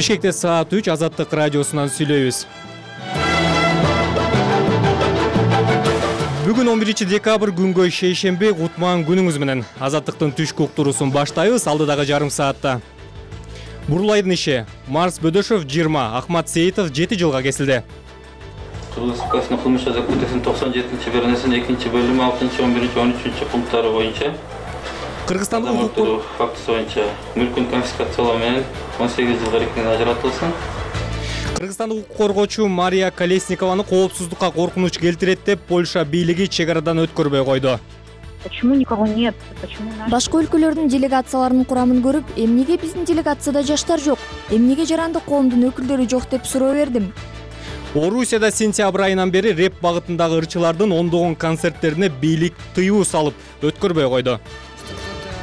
Бишкекте саат 3 Азаттык радиосунан сүйлөйбүз. Бүгүн 11 декабрь күнгөй шейшемби кутман күнүңүз менен. Азаттыктын түшкү уктуруусун баштайбыз алдыдагы жарым саатта. Бурулайдын иши. Марс Бөдөшов 20, Ахмат Сейитов 7 жылга кесилди. Кыргыз Республикасынын кылмыш жаза кодексинин 97-беренесинин 2-бөлүмү 6-11-13 пункттары боюнча Кыргызстандын укук фактысы боюнча мүлкүн конфискациялоо менен 18 жылга эркинен ажыратылсын. Кыргызстандык укук коргоочу Мария Колесникованы коопсуздукка коркунуч келтирет деп Польша бийлиги чек арадан өткөрбөй койду. Почему никого нет? Почему Башка өлкөлөрдүн делегацияларынын курамын көрүп, эмнеге биздин делегацияда жаштар жок? Эмнеге жарандык коомдун өкүлдөрү жок деп суроо бердим. Орусияда сентябрь айынан бери рэп багытындагы ырчылардын ондогон концерттерине бийлик тыюу салып өткөрбөй койду.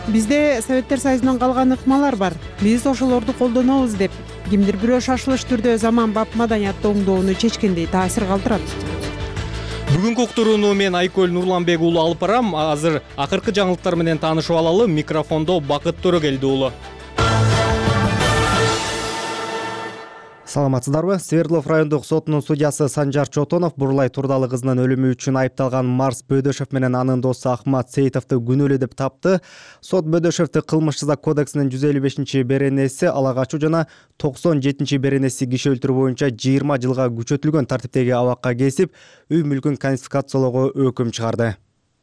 Бизде Советтер Союзунан калган ыкмалар бар. Биз ошолорду колдонобуз деп кимдир бирөө шашылыш түрдө заманбап маданиятты оңдоону чечкендей таасир калтырат. Бүгүнкү уктурууну мен Айкөл Нурланбек уулу алып барам. Азыр акыркы жаңылыктар менен таанышып алалы. Микрофондо Бакыт Төрөгелди уулу. Саламатсыздарбы? Свердлов райондук сотунун судьясы Санжар Чотонов Бурулай Турдалы кызынын өлүмү үчүн айыпталган Марс Бөдөшов менен анын досу Ахмат Сейитовду күнөөлүү деп тапты. Сот Бөдөшовду кылмыш жаза кодексинин 155-беренеси ала качуу жана 97-беренеси киши өлтүрүү боюнча 20 жылга күчөтүлгөн тартиптеги абакка кесип, үй мүлкүн конфискациялоого өкүм чыгарды.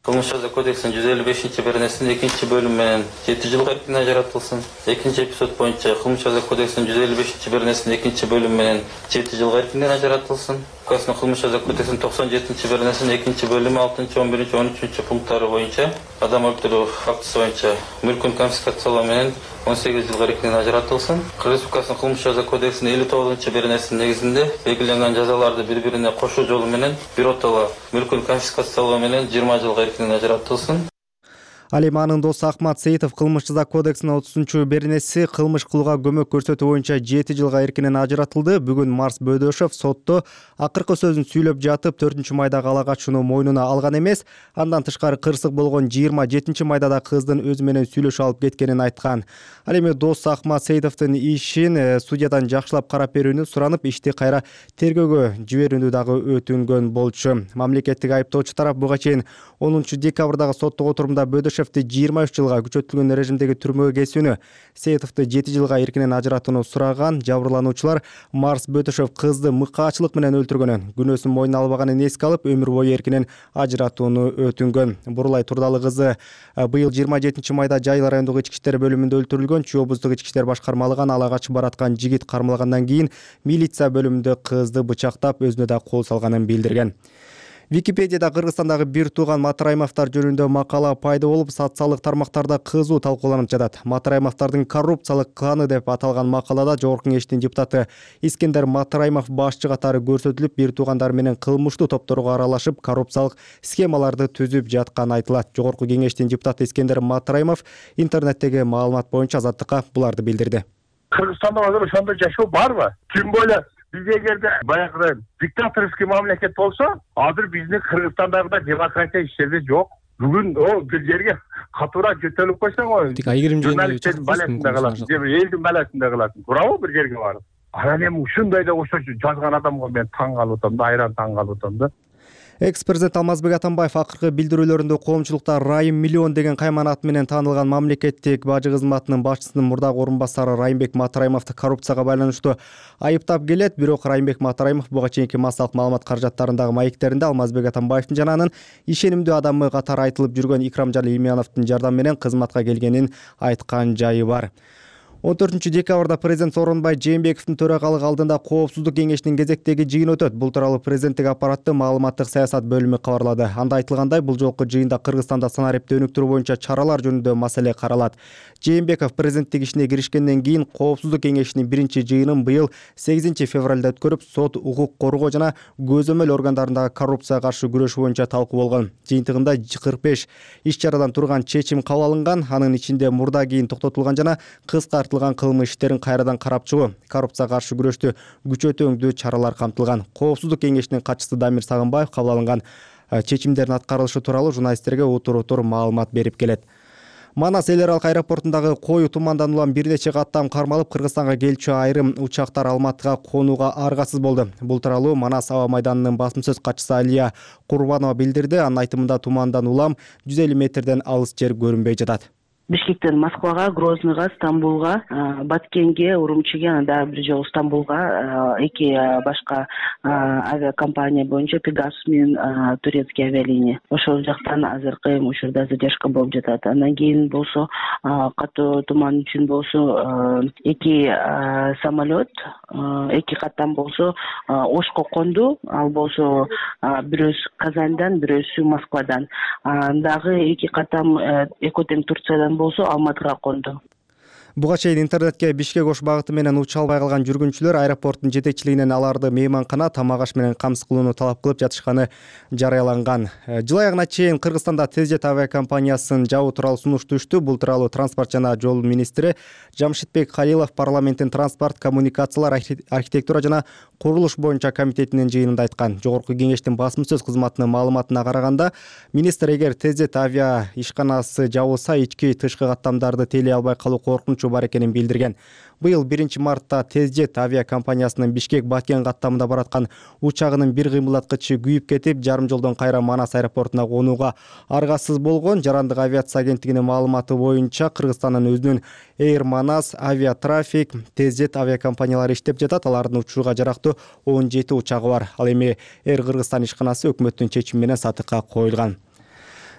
Кылмыш жаза кодексинин 155-беренесинин 2-бөлүмү менен 7 жылга эркинен ажыратылсын. Экинчи эпизод боюнча кылмыш жаза кодексинин 155-беренесинин 2-бөлүмү менен 7 жылга эркинен ажыратылсын. Кылмыш жаза кодексинин 97-беренесинин 2-бөлүмү 6-11-13 пункттары боюнча адам өлтүрүү фактысы боюнча мүлкүн конфискациялоо менен 18 жылга эркинен ажыратылсын. Кыргыз Республикасынын кылмыш жаза кодексинин 59-беренесинин негизинде белгиленген жазаларды бири-бирине кошуу жолу менен биротоло мүлкүн конфискациялоо менен 20 жылга эркинен ажыратылсын. Ал эми анын досу Ахмат Сейитов кылмыш жаза кодексинин 30-беренеси кылмыш кылууга көмөк көрсөтүү боюнча 7 жылга эркинен ажыратылды. Бүгүн Марс Бөдөшов сотто акыркы сөзүн сүйлөп жатып 4-майдагы ала качууну мойнуна алган эмес. Андан тышкары кырсык болгон 27-майдада кыздын өзү менен сүйлөшүп алып кеткенин айткан. Ал эми досу Ахмат Сейитовдун ишин судьядан жакшылап карап берүүнү суранып, ишти кайра тергөөгө жиберүүнү дагы өтүнгөн болчу. Мамлекеттик айыптоочу тарап буга чейин 10 декабрдагы соттук отурумда Бөдөшовду 23 жылга күчөтүлгөн режимдеги түрмөгө кесүүнү, Сейитовду 7 жылга эркинен ажыратууну сураган. Жабырлануучулар Марс Бөдөшов кызды мыкаачылык менен өлтүргөнүн, күнөөсүн мойнуна албаганын эске алып, өмүр бою эркинен ажыратууну өтүнгөн. Бурулай Турдалы кызы быйыл 27-майда Жайыл райондук ички иштер бөлүмүндө өлтүрүлгөн. Чүй облустук ички иштер башкармалыгын ала качып бараткан жигит кармалгандан кийин милиция бөлүмүндө кызды бычактап, өзүнө да кол салганын билдирген. Википедияда Кыргызстандагы бир тууган Матраимовдор жөнүндө макала пайда болуп, социалдык тармактарда кызуу талкууланып жатат. Матраимовдордун коррупциялык кланы деп аталган макалада Жогорку кеңештин депутаты Искендер Матраимов башчы катары көрсөтүлүп, бир туугандар менен кылмыштуу топторго аралашып, коррупциялык схемаларды түзүп жатканы айтылат. Жогорку кеңештин депутаты Искендер Матраимов интернеттеги маалымат боюнча Азаттыкка буларды билдирди. Кыргызстанда азыр ошондой жашоо барбы? Тим более биз эгерде баягы диктаторский мамлекет болсо, азыр биздин Кыргызстандагы демократия иштерде жок. Бүгүн бир жерге катуура жөтөлүп койсоң, журналисттердин баласында каласың, же элдин баласында каласың. Туурабы бир жерге барып? Анан эми ушундай да ошо жазган адамга мен таң калып атам да, айран таң калып атам да. Экс-президент Алмазбек Атамбаев акыркы билдирүүлөрүндө коомчулукта Райым Миллион деген кайман аты менен таанылган мамлекеттик бажы кызматынын башчысынын мурдагы орун басары Райымбек Матраимовду коррупцияга байланыштуу айыптап келет. Бирок Райымбек Матраимов буга чейинки массалык маалымат каражаттарындагы маектеринде Алмазбек Атамбаевдин жана анын ишенимдүү адамы катары айтылып жүргөн Икрамжан Илимяновдун жардамы менен кызматка келгенин айткан жайы бар. 14 декабрда президент Сооронбай Жээнбековдун төрагалыгы алдында коопсуздук кеңешинин кезектеги жыйын өтөт. Бул тууралуу президенттик аппараттын маалыматтык саясат бөлүмү кабарлады. Анда айтылгандай, бул жолку жыйында Кыргызстанда санариптти өнүктүрүү боюнча чаралар жөнүндө маселе каралат. Жээнбеков президенттик ишине киришкенден кийин коопсуздук кеңешинин биринчи жыйынын быйыл 8 февралда өткөрүп, сот, укук коргоо жана көзөмөл органдарындагы коррупцияга каршы күрөшүү боюнча талкуу болгон. Жыйынтыгында 45 иш чарадан турган чечим кабыл алынган. Анын ичинде мурда кийин токтотулган жана кыскартылган кылмыш иштерин кайрадан карап чыгуу, коррупцияга каршы күрөштү күчөтүүңдүү чаралар камтылган. Коопсуздук кеңешинин катчысы Дамир Сагынбаев кабыл алынган чечимдердин аткарылышы тууралуу журналисттерге утур маалымат берип келет. Манас эл аралык аэропортундагы кою тумандан улам бир нече каттам кармалып, Кыргызстанга келчү айрым учактар Алматыга конууга аргасыз болду. Бул тууралуу Манас аба майданынын басым сөз катчысы Алия Курбанова билдирди. Анын айтымында тумандан улам 150 метрден алыс жер көрүнбөй жатат. Бишкектен Москвага, Грозныйга, Стамбулга, Баткенге, Урумчиге, анда бир жолу Стамбулга эки башка авиакомпания боюнча Пегас менен турецкий авиалиния. Ошол жактан азыркы учурда задержка болуп жатат. Андан кийин болсо катуу туман үчүн болсо эки самолет, эки каттам болсо Ошко конду, ал болсо бирөөсү Казандан, бирөөсү Москвадан. Дагы эки каттам Экотен Турциядан болсо Алматыга конду. Буга чейин интернетке Бишкек Ош багыты менен уча албай калган жүргүнчүлөр аэропорттун жетекчилигинен аларды мейманкана, тамак аш менен камсыз кылууну талап кылып жатышканы жарыяланган. Жыл аягына чейин Кыргызстанда Тезжет авиакомпаниясын жабуу тууралуу сунуш түштү. Бул тууралуу транспорт жана жол министри Жамшитбек Халилов парламенттин транспорт, коммуникациялар, архитектура жана курулуш боюнча комитетинин жыйынында айткан. Жогорку кеңештин басым сөз кызматынын маалыматына караганда, министр эгер Тезжет авиа ишканасы жабылса, ички тышкы каттамдарды тейлей албай калуу коркунучу бар экенин билдирген. Быйыл 1 мартта Тезжет авиакомпаниясынын Бишкек-Баткен каттамында бараткан учагынын бир кыймылдаткычы күйүп кетип, жарым жолдон кайра Манас аэропортуна конууга аргасыз болгон. Жарандык авиация агенттигинин маалыматы боюнча Кыргызстандын өзүнүн Air Manas, Aviatraffic, Тезжет авиакомпаниялары иштеп жатат. Алардын учууга жарактуу 17 учагы бар. Ал эми Air Кыргызстан ишканасы өкмөттүн чечими менен сатыкка коюлган.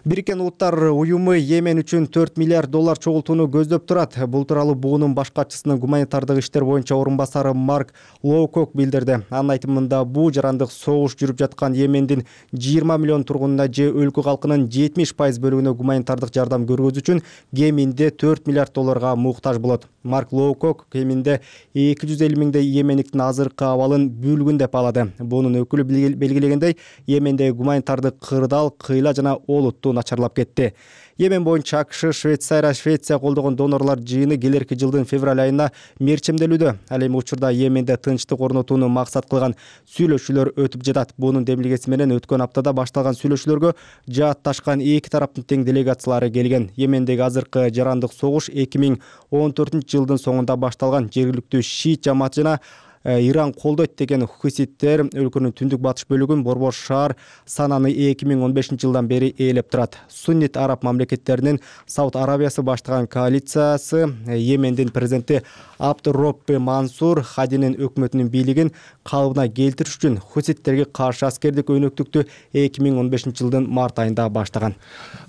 Бириккен Улуттар уюму Йемен үчүн $4 миллиард чогултууну көздөп турат. Бул тууралуу буунун баш катчысынын гуманитардык иштер боюнча орун басары Марк Лоукок билдирди. Анын айтымында буу жарандык согуш жүрүп жаткан Йемендин 20 миллион тургунуна же өлкө калкынын 70% бөлүгүнө гуманитардык жардам көргөзүү үчүн кеминде $4 миллиард муктаж болот. Марк Лоукок кеминде 250 миңдей йемендиктин азыркы абалын бүлгүн деп алады. Бунун өкүлү белгилегендей, Йемендеги гуманитардык кырдаал, кыйла жана олуттуу начарлап кетти. Йемен боюнча АКШ, Швеция колдогон донорлор жыйыны келерки жылдын февраль айына мерчемделүүдө. Ал эми учурда Йеменде тынчтык орнотууну максат кылган сүйлөшүүлөр өтүп жатат. Бунун демилгеси менен өткөн аптада башталган сүйлөшүүлөргө жаатташкан эки тараптын тең делегациялары келген. Йемендеги азыркы жарандык согуш 2014 жылдын соңунда башталган. Жергиликтүү шиит жамааты жана Иран колдойт деген хуситтер өлкөнүн түндүк батыш бөлүгүн Борбор шаар сананы 2015 жылдан бери ээлеп турат. Суннит араб мамлекеттеринин Сауд Арабиясы баштаган коалициясы Йемендин президенти Абдурробби Мансур Хадинин өкмөтүнүн бийлигин калыбына келтириш үчүн хуситтерге каршы аскердик өнөктүктү 2015 жылдын март айында баштаган.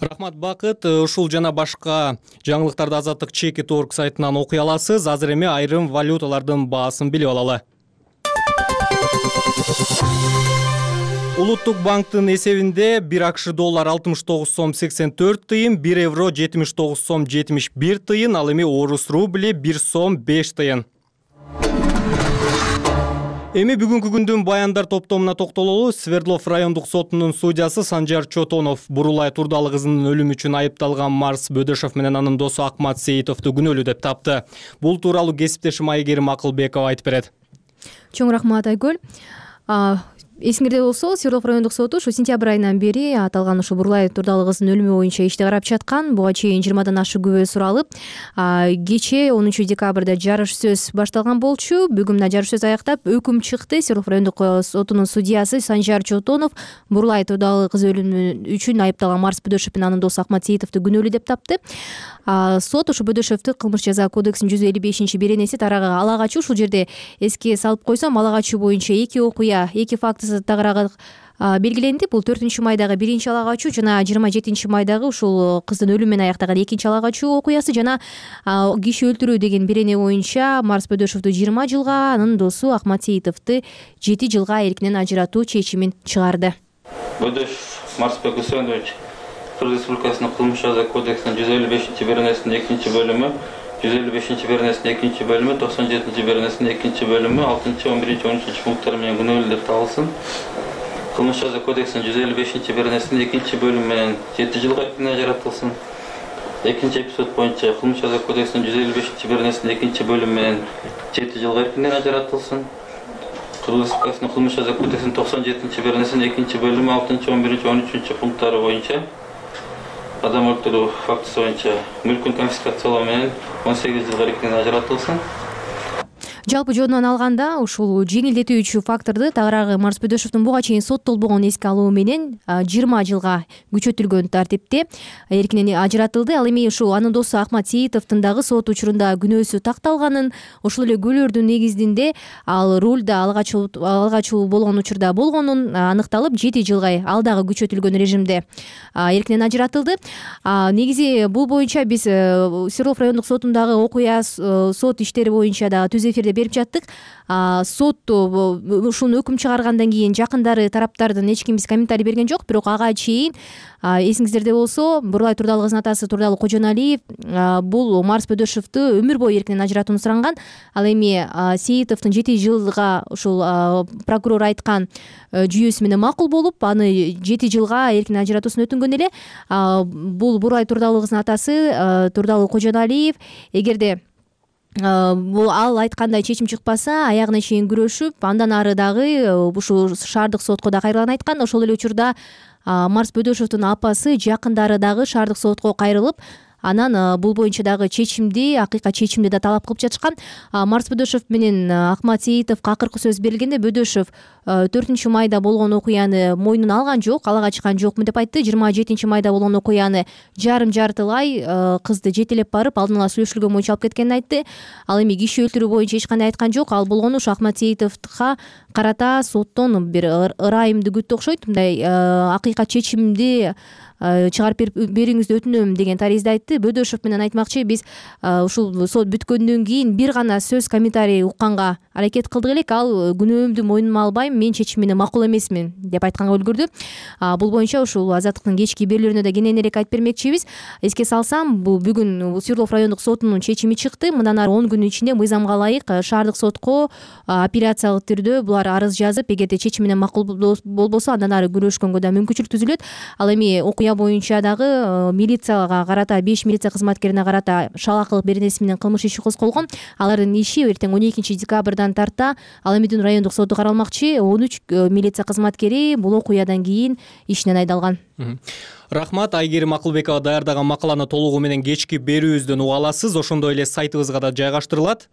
Рахмат Бакыт, ушул жана башка жаңылыктарды Азаттык Чеки.org сайтынан окуй аласыз. Азыр эми айрым валюталардын баасын билип алалы. Улуттук банктын эсебинде 1 АКШ доллар 69 сом 84 тыйын, 1 евро 79 сом 71 тыйын, ал эми орус рубли 1 сом 5 тыйын. Эми бүгүнкү күндүн баяндар топтомуна токтололу. Свердлов райондук сотунун судьясы Санжар Чотонов Бурулай Турдалы кызынын өлүмү үчүн айыпталган Марс Бөдөшов менен анын досу Акмат Сейитовду күнөөлүү деп тапты. Бул тууралуу кесиптешим Айгерим Акылбекова айтып берет. Чоң рахмат Айгүл. Эсиңерде болсо, Свердлов райондук соту ушу сентябрь айынан бери аталган ушу Бурулай Турдалы кызынын өлүмү боюнча ишти карап жаткан. Буга чейин 20дан ашык күбө суралып, кечээ 10 декабрда жарыш сөз башталган болчу. Бүгүн мына жарыш сөз аяктап, өкүм чыкты. Свердлов райондук сотунун судьясы Санжар Чотонов Бурулай Турдалы кызы өлүмү үчүн айыпталган Марс Бөдөшов менен анын досу Акмат Сейитовду күнөөлүү деп тапты. Сот ушу Бөдөшовду кылмыш жаза кодексинин 155-беренеси тарагы ала качуу. Ушул жерде эске салып койсом, ала качуу боюнча эки окуя, эки фактысы тагыраагы белгиленди. Бул 4-майдагы биринчи ала качуу жана 27-майдагы ушул кыздын өлүмү менен аяктаган экинчи ала качуу окуясы жана киши өлтүрүү деген берене боюнча Марс Бөдөшовду 20 жылга, анын досу Акмат Сейитовду 7 жылга эркинен ажыратуу чечимин чыгарды. Бөдөшов Марс Бөдөшович Кыргыз Республикасынын кылмыш жаза кодексинин 155-беренесинин 2-бөлүмү, 155-беренесинин 2-бөлүмү, 97-беренесинин 2-бөлүмү, 6-11-13 пункттары менен күнөөлүү деп табылсын. Кылмыш жаза кодексинин 155-беренесинин 2-бөлүмү менен 7 жылга эркинен ажыратылсын. Экинчи эпизод боюнча кылмыш жаза кодексинин 155-беренесинин 2-бөлүмү менен 7 жылга эркинен ажыратылсын. Кыргыз Республикасынын кылмыш жаза кодексинин 97-беренесинин 2-бөлүмү, 6-11-13 пункттары боюнча адам өлтүрүү фактысы боюнча мүлкүн конфискациялоо менен 18 жылга эркинен ажыратылсын. Жалпы жөнүнөн алганда ушул жеңилдетүүчү факторду тагыраагы Марс Бөдөшовдун буга чейин соттолбогонун эске алуу менен 20 жылга күчөтүлгөн тартипте эркинен ажыратылды. Ал эми ушул анын досу Ахмат Сейитовдун дагы сот учурунда күнөөсү такталганын, ошол эле күбөлөрдүн негизинде ал рулда алгачуу болгон учурда болгонун аныкталып 7 жылга ал дагы күчөтүлгөн режимде эркинен ажыратылды. Негизи бул боюнча биз Свердлов райондук сотундагы окуя сот иштери боюнча дагы түз эфирде берип жаттык. Сот ушуну өкүм чыгаргандан кийин жакындары тараптардын эч ким биз комментарий берген жок, бирок ага чейин эсиңиздерде болсо Бурлай Турдалы кызынын атасы Турдалы Кожоналиев бул Марс Бөдөшовду өмүр бою эркинен ажыратууну суранган. Ал эми Сейитовдун 7 жылга ушул прокурор айткан жүйөсү менен макул болуп, аны 7 жылга эркинен ажыратуусун өтүнгөн эле. Бул Бурлай Турдалы кызынын атасы Турдалы Кожоналиев эгерде бул ал айткандай чечим чыкпаса, аягына чейин күрөшүп, андан ары дагы ушул шаардык сотко да кайрылганын айткан. Ошол эле учурда Марс Бөдөшовдун апасы, жакындары дагы шаардык сотко кайрылып, анан бул боюнча дагы чечимди, акыйкат чечимди да талап кылып жатышкан. Марс Бөдөшов менен Ахмат Сейитовго акыркы сөз бергенде Бөдөшов 4-майда болгон окуяны мойнуна алган жок, алага чыккан жокмун деп айтты. 27-майда болгон окуяны жарым-жартылай кызды жетелеп барып, алдын ала сүйлөшүлгөн боюнча алып кеткенин айтты. Ал эми киши өлтүрүү боюнча эч кандай айткан жок. Ал болгону ушу Ахмат Сейитовго карата соттон бир ырайымды күттү окшойт. Мындай акыйкат чечимди чыгарып бериңизди өтүнөм деген таризде айтты. Бөдөшов менен айтмакчы, биз ушул сот бүткөндөн кийин бир гана сөз, комментарий укканга аракет кылдык элек. Ал күнөөмдү мойнума албайм, мен чечимине макул эмесмин деп айтканга үлгүрдү. Бул боюнча ушул азаттыктын кечки берүүлөрүнө да кененирээк айтып бермекчибиз. Эске салсам, бул бүгүн Свердлов райондук сотунун чечими чыкты. Мындан ары 10 күн ичинде мыйзамга ылайык шаардык сотко апелляциялык түрдө булар арыз жазып, эгерде чечимине макул болбосо, андан ары күрөшкөнгө да мүмкүнчүлүк түзүлөт. Ал эми окуя боюнча дагы милицияга карата, 5 милиция кызматкерине карата шалакылык беренеси менен кылмыш иши козголгон. Алардын иши эртең 12 декабрдан тарта Ал Эмидин райондук соту каралмакчы. 13 милиция кызматкери бул окуядан кийин ишинен айдалган. Рахмат, Айгерим Акылбекова даярдаган макаланы толугу менен кечки берүүбүздөн уга аласыз. Ошондой эле сайтыбызга да жайгаштырылат.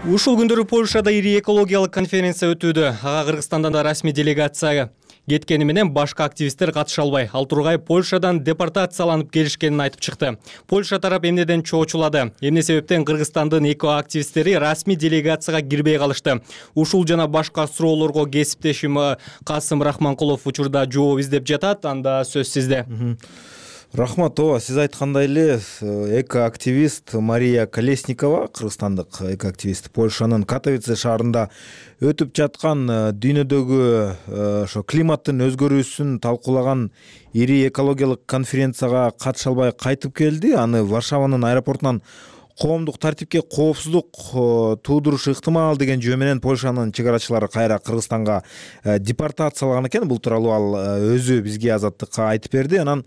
Ушул күндөрү Польшада ири экологиялык конференция өтүүдө. Ага Кыргызстандан да расмий делегация кеткени менен башка активисттер катыша албай, ал тургай Польшадан депортацияланып келишкенин айтып чыкты. Польша тарап эмнеден чоочулады? Эмне себептен Кыргызстандын эко-активисттери расмий делегацияга кирбей калышты? Ушул жана башка суроолорго кесиптешим Касым Рахманкулов учурда жооп издеп жатат. Анда сөз сизде. Рахмат, сиз айткандай эле эко-активист Мария Колесникова, кыргызстандык эко-активист, Польшанын Катовице шаарында өтүп жаткан дүйнөдөгү ошо климаттын өзгөрүүсүн талкуулаган ири экологиялык конференцияга катыша албай кайтып келди. Аны Варшаванын аэропортунан коомдук тартипке коопсуздук туудурушу ыктымал деген жөө менен Польшанын чек арачылары кайра Кыргызстанга депортациялаган экен. Бул тууралуу ал өзү бизге Азаттыкка айтып берди. Анан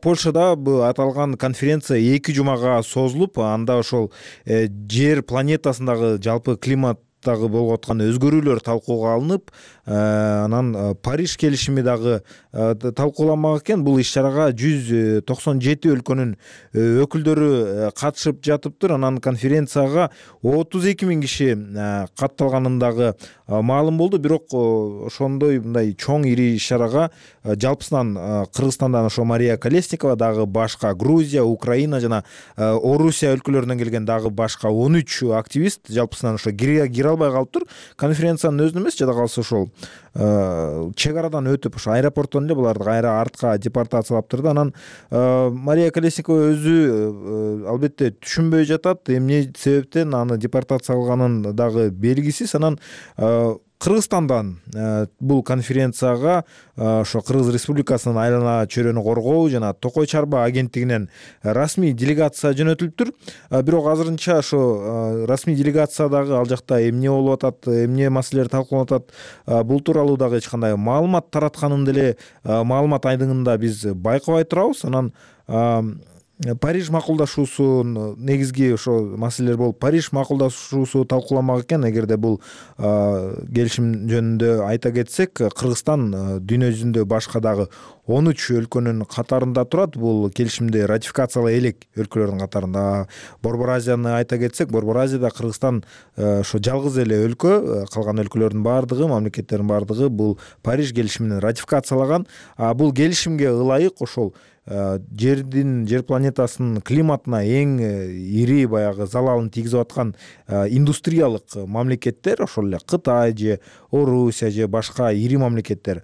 Польшада бул аталган конференция 2 жумага созулуп, анда ошол жер планетасындагы жалпы климат болуп аткан өзгөрүүлөр талкууга алынып, анан Париж келишими дагы талкууланмак экен. Бул иш-чарага 197 өлкөнүн өкүлдөрү катышып жатыптыр. Анан конференцияга 32 000 киши катталганын дагы маалым болду. Бирок ошондой мындай чоң ири иш-чарага жалпысынан Кыргызстандан ошо Мария Колесникова, дагы башка Грузия, Украина жана Орусия өлкөлөрүнөн келген дагы башка 13 активист жалпысынан ошо кире албай калыптыр. Конференциянын өзүнө эмес, жада калса ошол чек арадан өтүп, ошо аэропорттон эле буларды кайра артка депортациялаптыр да. Анан Мария Колесникова өзү албетте түшүнбөй жатат, эмне себептен аны депортациялаганын дагы белгисиз. Анан Кыргызстандан бул конференцияга ошо Кыргыз Республикасынын айлана чөйрөнү коргоо жана Токой Чарба агенттигинен расмий делегация жөнөтүлүптүр. Бирок азырынча ошо расмий делегациядагы ал жакта эмне болуп атат, эмне маселелер талкууланып атат, бул тууралуу дагы эч кандай маалымат таратканын деле маалымат айдыңында биз байкабай турабыз. Анан Париж макулдашуусу негизги ошо маселелер болуп, Париж макулдашуусу талкууламак экен. Эгерде бул келишим жөнүндө айта кетсек, Кыргызстан дүйнө жүзүндө башка дагы 13 өлкөнүн катарында турат. Бул келишимди ратификациялай элек өлкөлөрдүн катарында. Борбор Азияны айта кетсек, Борбор Азияда Кыргызстан ошо жалгыз эле өлкө, калган өлкөлөрдүн баардыгы, мамлекеттердин баардыгы бул Париж келишимин ратификациялаган. Бул келишимге ылайык ошол жер планетасынын климатына эң ири баягы залалын тийгизип аткан индустриялык мамлекеттер, ошол эле Кытай же Орусия же башка ири мамлекеттер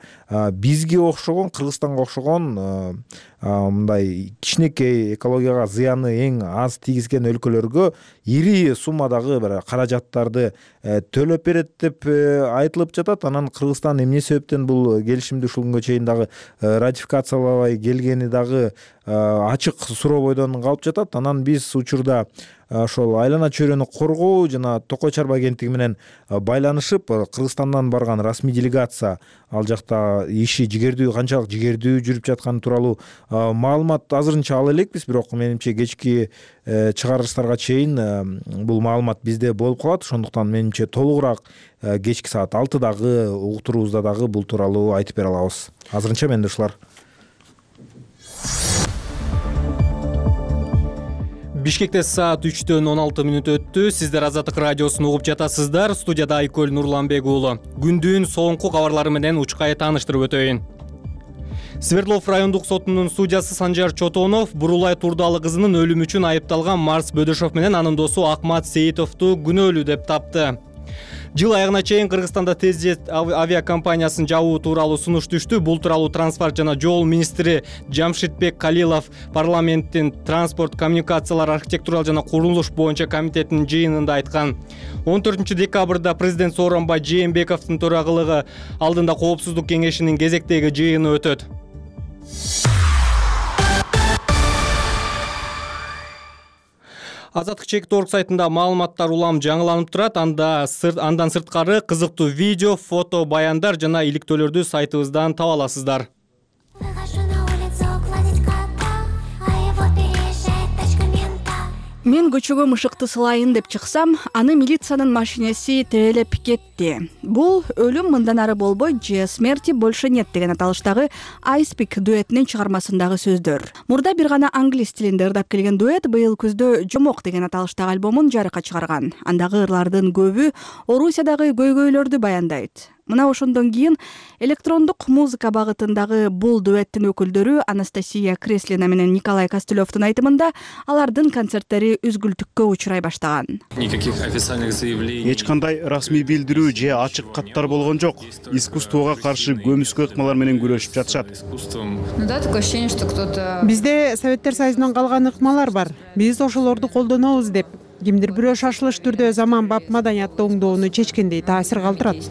бизге окшогон, Кыргызстанга окшогон мындай кичинекей экологияга зыяны эң аз тийгизген өлкөлөргө ири суммадагы бир каражаттарды төлөп берет деп айтылып жатат. Анан Кыргызстан эмне себептен бул келишимди ушул күнгө чейин дагы ратификациялабай келгени дагы ачык сурообойдон калып жатат. Анан биз учурда ошол айлана чөйрөнү коргоо жана Токой чарба агенттиги менен байланышып, Кыргызстандан барган расмий делегация ал жакта иши канчалык жигердүү жүрүп жатканы тууралуу маалымат азырынча ала элекпиз. Бирок менимче кечки чыгарылыштарга чейин бул маалымат бизде болуп калат. Ошондуктан менимче толугураак кечки саат 6дагы уктуруубузда дагы бул тууралуу айтып бере алабыз. Азырынча менде ушулар. Бишкекте саат 3:16 өттү. Сиздер Азаттык радиосун угуп жатасыздар. Студияда Айкөл Нурланбек уулу. Күндүн соңку кабарлары менен учкай тааныштырып өтөйүн. Свердлов райондук сотунун судьясы Санжар Чотонов Бурулай Турдалы кызынын өлүмү үчүн айыпталган Марс Бөдөшов менен анын досу Акмат Сейитовду күнөөлүү деп тапты. Жыл аягына чейин Кыргызстанда тез авиакомпаниясын жабуу тууралуу сунуш түштү. Бул тууралуу транспорт жана жол министри Жамшитбек Калилов парламенттин транспорт, коммуникациялар, архитектуралык жана курулуш боюнча комитетинин жыйынында айткан. 14 декабрда президент Сооронбай Жээнбековдун төрагылыгы алдында коопсуздук кеңешинин кезектеги жыйыны өтөт. Азаттык чек.org сайтында маалыматтар улам жаңыланып турат. Андан сырткары кызыктуу видео, фото, баяндар жана иликтөөлөрдү сайтыбыздан таба аласыздар. Мен көчөгө мышыкты сылайын деп чыксам, аны милициянын машинеси тебелеп кетти. Бул өлүм мындан ары болбойт же смерти больше нет деген аталыштагы Icepick дуэтинин чыгармасындагы сөздөр. Мурда бир гана англис тилинде ырдап келген дуэт быйыл күздө Жомок деген аталыштагы альбомун жарыкка чыгарган. Андагы ырлардын көбү Орусиядагы көйгөйлөрдү баяндайт. Мына ошондон кийин электрондук музыка багытындагы бул дуэттин өкүлдөрү Анастасия Креслина менен Николай Костылевдун айтымында алардын концерттери үзгүлтүккө учурай баштаган. Эч кандай расмий билдирүү же ачык каттар болгон жок. Искусствого каршы көмүскө ыкмалар менен күрөшүп жатышат. Бизде Советтер Союзунан калган ыкмалар бар. Биз ошолорду колдонобуз деп кимдир бирөө шашылыш түрдө заман бап маданиятты оңдоону чечкендей таасир калтырат.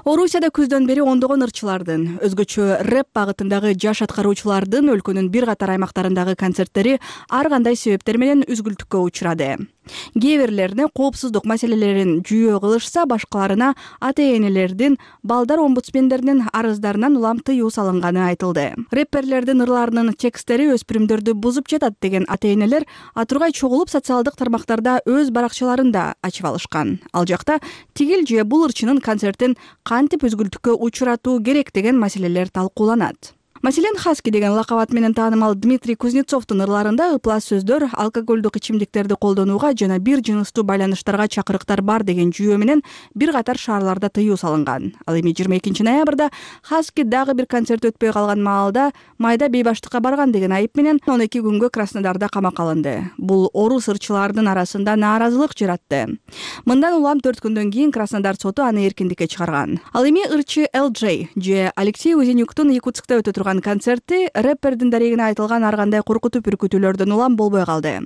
Орусияда күздөн бери ондогон ырчылардын, өзгөчө рэп багытындагы жаш аткаруучулардын өлкөнүн бир катар аймактарындагы концерттери ар кандай себептер менен үзгүлтүккө учурады. Кээ бирлерине коопсуздук маселелерин жүйө кылышса, башкаларына ата-энелердин, балдар омбудсмендеринин арыздарынан улам тыюу салынганы айтылды. Рэпперлердин ырларынын текстери өспүрүмдөрдү бузуп жатат деген ата-энелер атургай чогулуп социалдык тармактарда өз баракчаларында ачып алышкан. Ал жакта тигил же бул ырчынын концертин кантип үзгүлтүккө учуратуу керек деген маселелер талкууланат. Маселен, Хаски деген лакап ат менен таанымал Дмитрий Кузнецовдун ырларында ыплас сөздөр алкоголдук ичимдиктерди колдонууга жана бир жыныстуу байланыштарга чакырыктар бар деген жүйө менен бир катар шаарларда тыюу салынган. Ал эми 22 ноябрда Хаски дагы бир концерт өтпөй калган маалда майда бейбаштыкка барган деген айып менен 12 күнгө Краснодарда камакка алынды. Бул орус ырчылардын арасында нааразылык жаратты. Мындан улам 4 күндөн кийин Краснодар соту аны эркиндикке чыгарган. Ал эми ырчы LJ же Алексей Узенюктун Якутскта өтө турган концерти рэппердин дарегине айтылган ар кандай коркутуп үркүтүүлөрдөн улам болбой калды.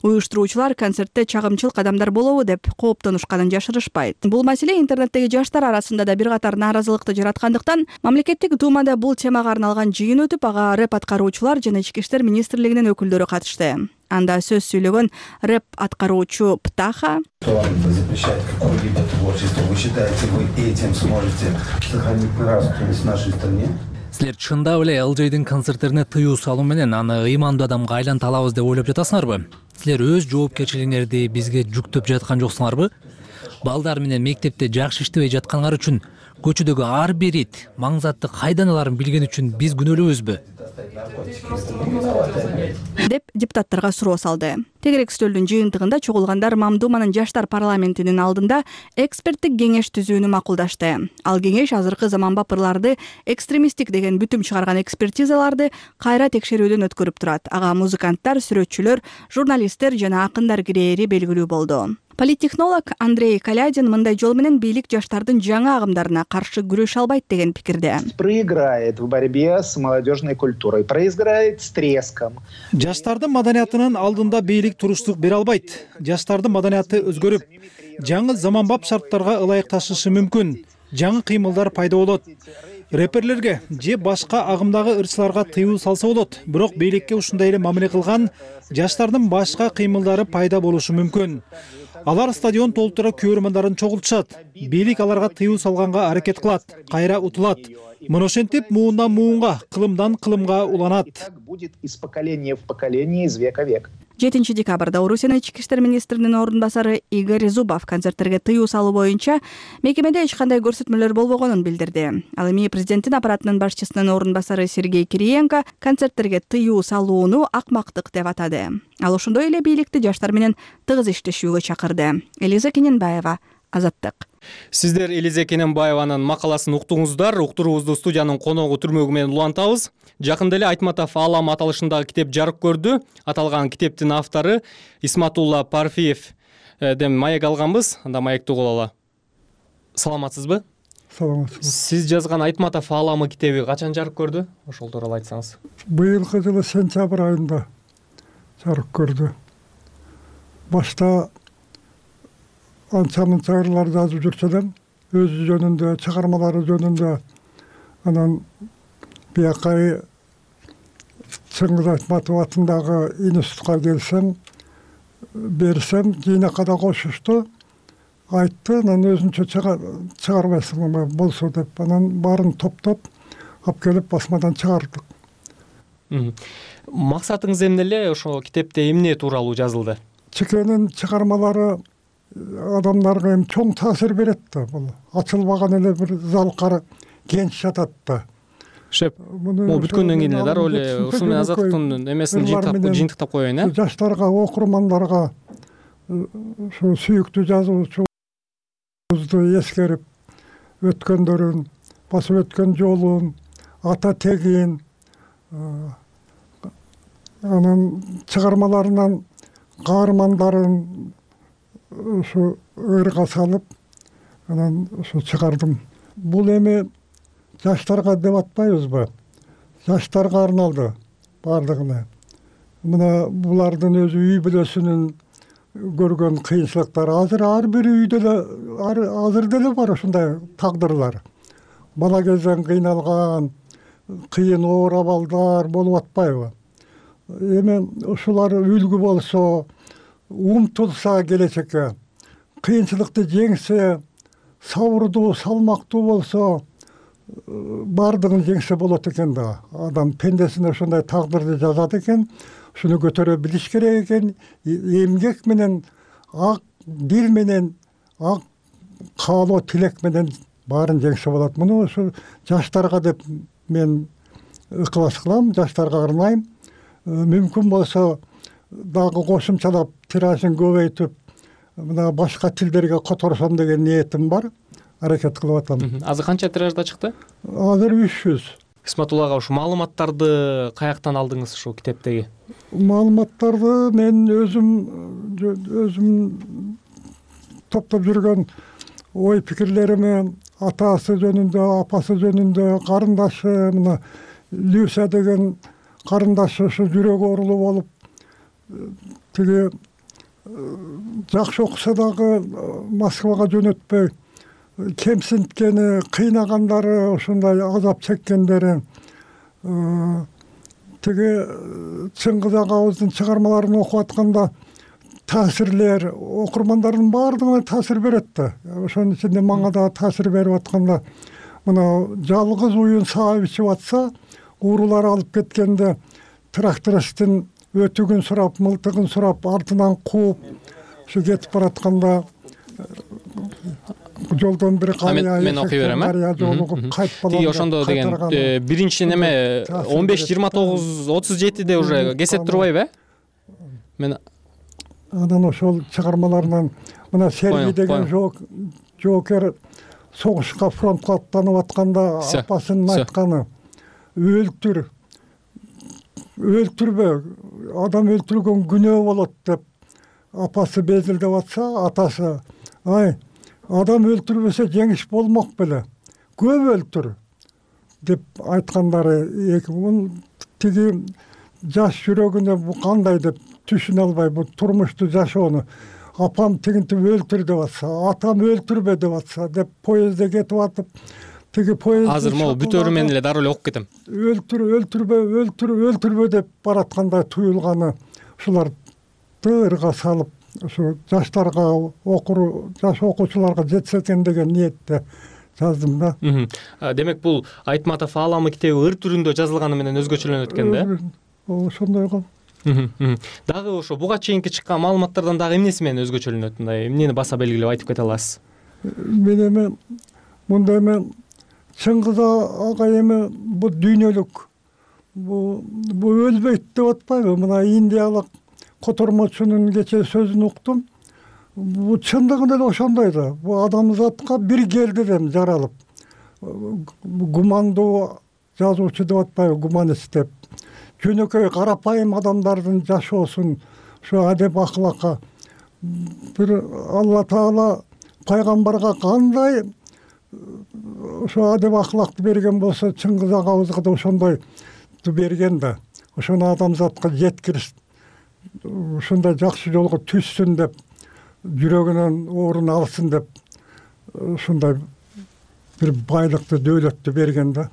Уюштуруучулар концертте чагымчыл кадамдар болобу деп кооптонушканын жашырышпайт. Бул маселе интернеттеги жаштар арасында да бир катар нааразылыкты жараткандыктан мамлекеттик думада бул темага арналган жыйын өтүп, ага рэп аткаруучулар жана Ички иштер министрлигинин өкүлдөрү катышты. Анда сөз сүйлөгөн рэп аткаруучу Птаха запрещать какое-либо творчество. Вы считаете, вы этим сможете сохранить нравственность в нашей стране? Силер чындап эле ЛЖдин концерттерине тыюу салуу менен аны ыймандуу адамга айланта алабыз деп ойлоп жатасыңарбы? Силер өз жоопкерчилигиңерди бизге жүктөп жаткан жоксуңарбы? Балдар менен мектепте жакшы иштебей жатканыңар үчүн көчөдөгү ар бир ит маң затты кайдан аларын билген үчүн биз күнөөлүүбүзбү? деп депутаттарга суроо салды. Тегерек стөлдүн жыйынтыгында чогулгандар Мамдуманын жаштар парламентинин алдында эксперттик кеңеш түзүүнү макулдашты. Ал кеңеш азыркы заманбап ырларды экстремисттик деген бүтүм чыгарган экспертизаларды кайра текшерүүдөн өткөрүп турат. Ага музыканттар, сүрөтчүлөр, журналисттер жана акындар кирээри белгилүү болду. Политтехнолог Андрей Калядин мындай жол менен бийлик жаштардын жаңы агымдарына каршы күрөшө албайт деген пикирде. Проиграет в борьбе с молодежной культурой, проиграет с треском. Жаштардын маданиятынын алдында бийлик туруштук бере албайт. Жаштардын маданияты өзгөрүп, жаңы заманбап шарттарга ылайыкташышы мүмкүн. Жаңы кыймылдар пайда болот. Рэперлерге же башка агымдагы ырчыларга тыюу салса болот. Бирок бийликке ушундай эле мамиле кылган жаштардын башка кыймылдары пайда болушу мүмкүн. Алар стадион толтура көрөрмандарын чогултушат. Бийлик аларга тыюу салганга аракет кылат, кайра утулат. Мына ошентип муундан муунга, кылымдан кылымга уланат. Будет из поколения в поколение, из века в век. 7 декабрда Орусиянын ички иштер министринин орун басары Игорь Зубов концерттерге тыюу салуу боюнча мекемеде эч кандай көрсөтмөлөр болбогонун билдирди. Ал эми президенттин аппаратынын башчысынын орун басары Сергей Кириенко концерттерге тыюу салууну акмактык деп атады. Ал ошондой эле бийликти жаштар менен тыгыз иштешүүгө чакырды. Элиза Кененбаева, Азаттык. Сиздер Элиза Кененбаеванын макаласын уктуңуздар. Уктуруубузду студиянын коногу түрмөгү менен улантабыз. Жакында эле Айтматов Аалам аталышындагы китеп жарык көрдү. Аталган китептин автору Исматулла Парфиевден маек алганбыз. Анда маекти угуп алалы. Саламатсызбы? Саламатсызбы. Сиз жазган Айтматов Ааламы китеби качан жарык көрдү? Ошол тууралуу айтсаңыз. Быйылкы жылы сентябрь айында жарык көрдү. Башта анча-мынча ырлар жазып жүрсө да, өзү жөнүндө, чыгармалары жөнүндө анан биякай Чыңгыз Айтматов атындагы институтка келсем, берсем, жыйнакка кошушту, айтты, анан өзүнчө чыгарбайсыңбы болсо деп, анан баарын топтоп алып келип басмадан чыгардык. Максатыңыз эмне эле? Ошо китепте эмне тууралуу жазылды? Чекенин чыгармалары адамдарга эми чоң таасир берет да. Бул ачылбаган эле бир залкар кенч жатат да. Шеп, бул бүткөндөн кийин эле дароо эле ушул менен Азаттыктын эмесин жыйынтыктап коеюн, э? Жаштарга, окурмандарга ушу сүйүктүү жазуучубузду эскерип, өткөндөрүн, басып өткөн жолун, ата тегин, анан чыгармаларынан каармандарын ушу ырга салып, анан ушу чыгардым. Бул эми жаштарга деп атпайбызбы? Жаштарга арналды бардыгына. Мына булардын өзү үй бүлөсүнүн көргөн кыйынчылыктары азыр ар бир үйдө эле азыр деле бар ушундай тагдырлар. Бала кезден кыйналган, кыйын оор абалдар болуп атпайбы? Эми ушулар үлгү болсо, умтулса келечекке, кыйынчылыкты жеңсе, сабырдуу, салмактуу болсо, бардыгын жеңсе болот экен да. Адам пендесине ошондой тагдырды жазат экен, ушуну көтөрө билиш керек экен, эмгек менен, ак дил менен, ак каалоо тилек менен баарын жеңсе болот. Муну ушу жаштарга деп мен ыкылаш кылам, жаштарга арнайм. Мүмкүн болсо дагы кошумчалап тиражын көбөйтүп, мына башка тилдерге которсом деген ниетим бар. Аракет кылып атам. Азыр канча тиражда чыкты? Азыр 300. Исматулла ага ушу маалыматтарды каяктан алдыңыз ушул китептеги? Маалыматтарды мен өзүм топтоп жүргөн ой пикирлерими атасы жөнүндө, апасы жөнүндө, карындашы, мына Люся деген карындашы ушу жүрөгү оорулуу болуп, тиги жакшы окуса дагы Москвага жөнөтпөй, кемсинткени, кыйнагандары, ушундай азап чеккендери, тиги Чыңгыз агабыздын чыгармаларын окуп атканда таасирлер, окурмандардын баардыгына таасир берет да. Ошонун ичинде мага да таасир берип атканда мына жалгыз уюн саап ичип атса, уурулар алып кеткенде трактористтин өтүгүн сурап, мылтыгын сурап, артынан кууп ушу кетип баратканда жолдон бир карыя, мен окуй берем, карыя жолугуп кайтпалам. Тиги ошондо деген биринчи неме 15-29-37де уже кесет турбайбы, Мен анан ошол чыгармаларынан мына Сергей деген жоокер согушка, фронтко аттанып атканда апасынын айтканы: өлтүрбө, адам өлтүргөн күнөө болот деп апасы безилдеп атса, атасы: ай, адам өлтүрбөсө жеңиш болмок беле, көп өлтүр деп айткандары. Тиги жаш жүрөгүнө бу кандай деп түшүнө албай, бу турмушту жашоону. Апам тигинтип өлтүр деп атса, атам өлтүрбө деп атса деп поездде кетип атып, тиги поезд азыр могу бүтөрү менен эле дароо эле окуп кетем. Өлтүрбө деп бараткандай туюлганы ушуларды ырга салып, ушу жаштарга, жаш окуучуларга жетсе экен деген ниетте жаздым да. Демек бул Айтматов ааламы китеби ыр түрүндө жазылганы менен өзгөчөлөнөт экен да? Ошондой го. Дагы ошо буга чейинки чыккан маалыматтардан дагы эмнеси менен өзгөчөлөнөт? Мындай эмнени баса белгилеп айтып кете аласыз? Мен мындай Чыңгыз агай бу дүйнөлүк, бу өлбөйт деп атпайбы? Мына индиялык котормочунун кечээ сөзүн уктум. Бу чындыгында эле ошондой да. Бу адамзатка бир келди дем жаралып. Гумандуу жазуучу деп атпайбы, гуманист деп. Жөнөкөй карапайым адамдардын жашоосун, ушу адеп акылакка бир Алла Таала пайгамбарга кандай ошо адеп акылакты берген болсо, Чыңгыз агабызга да ошондой берген да. Ошону адамзатка жеткириш, ушундай жакшы жолго түшсүн деп, жүрөгүнөн оорун алсын деп, ушундай бир байлыкты, дөөлөттү берген да.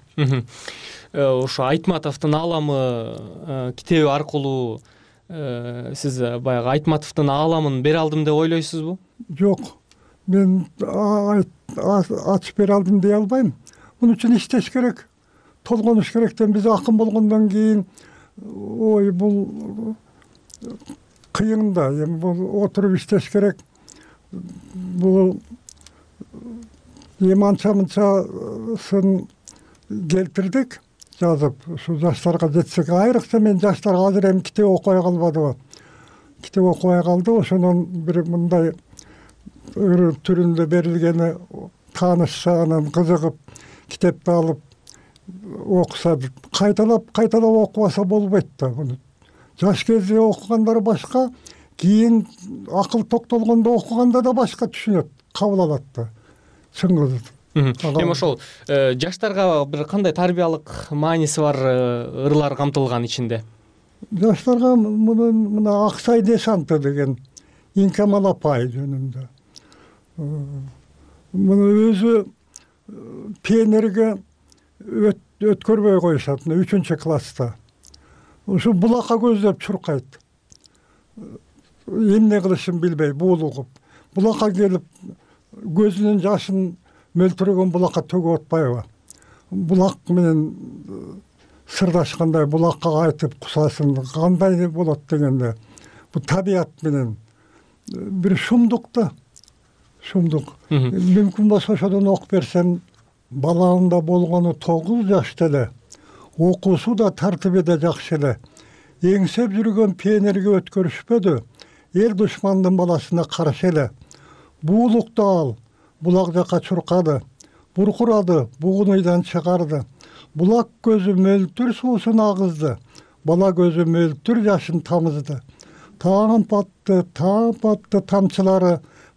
Ошо Айтматовдун ааламы китеби аркылуу сиз баягы Айтматовдун ааламын бере алдым деп ойлойсузбу? Жок, мен ачып бере алдым дей албайм. Муну үчүн иштеш керек, толгонуш керек. Биз акын болгондон кийин, ой, бул кыйын да, эми бул отуруп иштеш керек. Бул эми анча-мынчасын келтирдик, жазып, ушу жаштарга жетсек. Айрыкча мен жаштарга азыр эми китеп окубай калбадыбы. Китеп окубай калды, ошонун бир мындай ыр түрүндө берилгени таанышса, анан кызыгып, китепти алып окуса, кайталап окубаса болбойт да. Жаш кезде окугандар башка, кийин акыл токтолгондо окуганда да башка түшүнөт, кабыл алат да. Чыңгыз. Эми ошол жаштарга бир кандай тарбиялык мааниси бар ырлар камтылган ичинде? Жаштарга мына Аксай Дешанты деген Инкамал апай жөнүндө. Муну өзү пионерге өткөрбөй коюшат, 3-класста. Ушу булакка көздөп чуркайт. Эмне кылышын билбей, буулугуп. Булакка келип, көзүнүн жашын мөлтүрөгөн булакка төгүп атпайбы? Булак менен сырдашкандай, булакка айтып кусасын, кандай болот дегенде, бу табият менен бир шумдук да. Шумдук. Мүмкүн болсо ошодон окуп берсем, балаңда болгону 9 жашта эле, окуусу да тартиби да жакшы эле. Эңсеп жүргөн пионерге өткөрүшпөдү, эл душмандын баласына каршы эле. Буулукту ал, булак жака чуркады, буркурады, бугун ыйдан чыгарды. Булак көзү мөлтүр суусун агызды, бала көзү мөлтүр жашын тамызды. Таң батты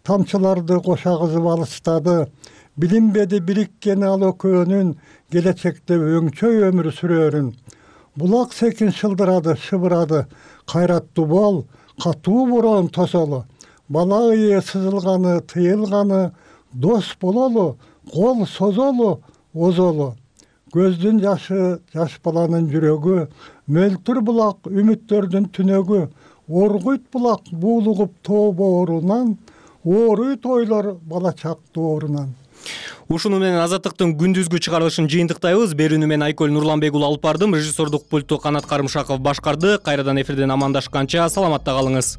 тамчыларды кошагызып алыстады. Билинбеди бириккени ал экөөнүн, келечекте өңчөй өмүр сүрөрүн. Булак секин шылдырады, шыбырады, кайраттуу бол, катуу борон тосолу. Бала ыйы сызылганы, тыйылганы, дос бололу, кол созолу, озолу. Көздүн жашы, жаш баланын жүрөгү, мөлтүр булак, үмүттөрдүн түнөгү. Оргуйт булак, буулугуп тоо боорунан, ооруйт ойлор бала чактуу оорунан. Ушуну менен Азаттыктын күндүзгү чыгарылышын жыйынтыктайбыз. Берүүнү мен Айкөл Нурланбекұлы алып бардым. Режиссердук пультту Канат Карымшаков башкарды. Кайрадан эфирден амандашканча саламатта калыңыз.